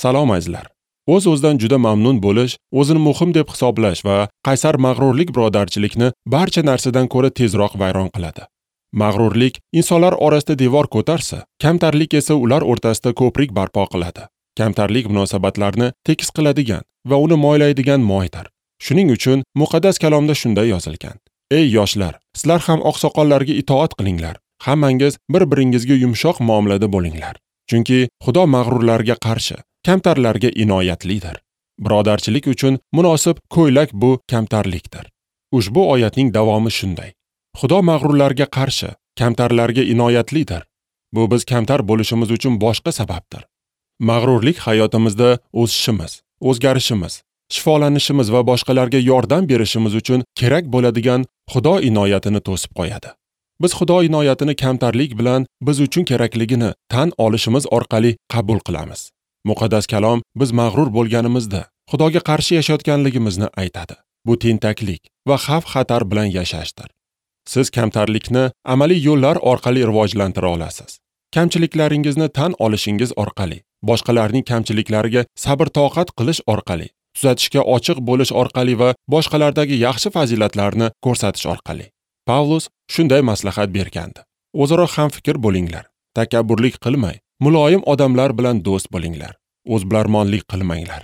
Salom azizlar. O'z-o'zidan juda mamnun bo'lish, o'zini muhim deb hisoblash va qaysar mag'rurlik birodarchilikni barcha narsadan ko'ra tezroq vayron qiladi. Mag'rurlik insonlar orasida devor ko'tarsa, kamtarlik esa ular o'rtasida ko'prik barpo qiladi. Kamtarlik munosabatlarni tekis qiladigan va uni moylaydigan moydir. Shuning uchun muqaddas kalomda shunday yozilgan: Ey yoshlar, sizlar ham oqsoqollarga itoat qilinglar. Hammangiz bir-biringizga yumshoq muomalada bo'linglar. Chunki Xudo mag'rurlarga qarshi, kamtarlarga inoyatlidir. Birodarchilik uchun munosib ko'ylak bu kamtarlikdir. Ushbu oyatning davomi shunday: Xudo mag'rurlarga qarshi, kamtarlarga inoyatlidir. Bu biz kamtar bo'lishimiz uchun boshqa sababdir. Mag'rurlik hayotimizda o'sishimiz, o'zgarishimiz, shifolanishimiz va boshqalarga yordam berishimiz uchun kerak bo'ladigan Xudo inoyatini to'sib qo'yadi. Biz Xudo inoyatini kamtarlik bilan biz uchun kerakligini tan olishimiz orqali qabul qilamiz. Muqaddas kalom biz mag'rur bo'lganimizda Xudoga qarshi yashayotganligimizni aytadi. Bu tentaklik va xavf-xatar bilan yashashdir. Siz kamtarlikni amaliy yo'llar orqali rivojlantira olasiz. Kamchiliklaringizni tan olishingiz orqali, boshqalarning kamchiliklariga sabr-toqat qilish orqali, tuzatishga ochiq bo'lish orqali va boshqalardagi yaxshi fazilatlarni ko'rsatish orqali. Pavlus shunday maslahat bergandi: O'zaro hamfikr bo'linglar, takabburlik qilmay, muloyim odamlar bilan do'st bo'linglar, o'zbilarmonlik qilmanglar.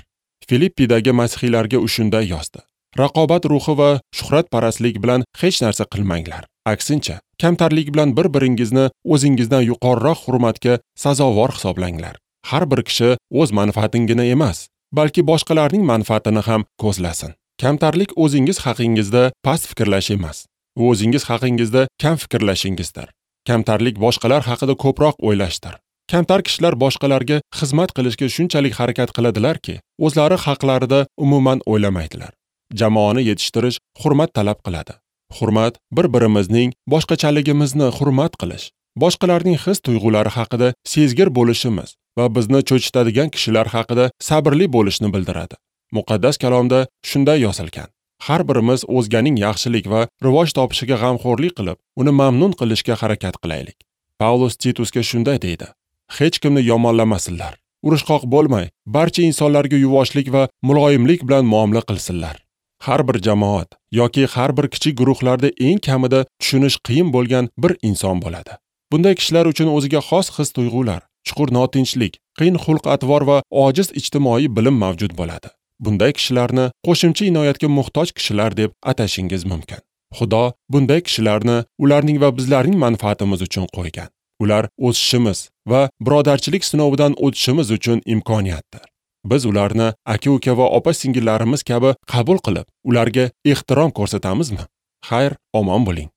Filippidagi masihiylarga u shunday yozdi: Raqobat ruhi va shuhratparastlik bilan hech narsa qilmanglar. Aksincha, kamtarlik bilan bir-biringizni o'zingizdan yuqoriroq hurmatga sazovor hisoblanglar. Har bir kishi o'z manfaatingina emas, balki boshqalarning manfaatini ham ko'zlasin. Kamtarlik o'zingiz haqingizda past fikrlash emas, u o'zingiz haqingizda kam fikrlashingizdir. Kamtarlik boshqalar haqida ko'proq o'ylashdir. Kamtar kishilar boshqalarga xizmat qilishga shunchalik harakat qiladilarki, o'zlari haqlarida umuman o'ylamaydilar. Jamoani yetishtirish hurmat talab qiladi. Hurmat bir-birimizning boshqachaligimizni hurmat qilish, boshqalarning his-tuyg'ulari haqida sezgir bo'lishimiz va bizni cho'chitadigan kishilar haqida sabrli bo'lishni bildiradi. Muqaddas kalomda shunday yozilgan: Har birimiz o'zganing yaxshilik va rivoj topishiga g'amxo'rlik qilib, uni mamnun qilishga harakat qilaylik. Pavlus Titusga shunday deydi: Hech kimni yomonlamasinlar, urushqoq bo'lmay, barcha insonlarga yuvoshlik va muloyimlik bilan muomala qilsinlar. Har bir jamoat yoki har bir kichik guruhlarda eng kamida tushunish qiyin bo'lgan bir inson bo'ladi. Bunday kishilar uchun o'ziga xos his-tuyg'ular, chuqur notinchlik, qiyin xulq-atvor va ojiz ijtimoiy bilim mavjud bo'ladi. Bunday kishilarni qo'shimcha inoyatga muhtoj kishilar deb atashingiz mumkin. Xudo bunday kishilarni ularning va bizlarning manfaatimiz uchun qo'ygan. Ular o'sishimiz va birodarchilik sinovidan o'tishimiz uchun imkoniyatdir. Biz ularni aka-uka va opa-singillarimiz kabi qabul qilib, ularga ehtirom ko'rsatamizmi? Xayr, omon bo'ling.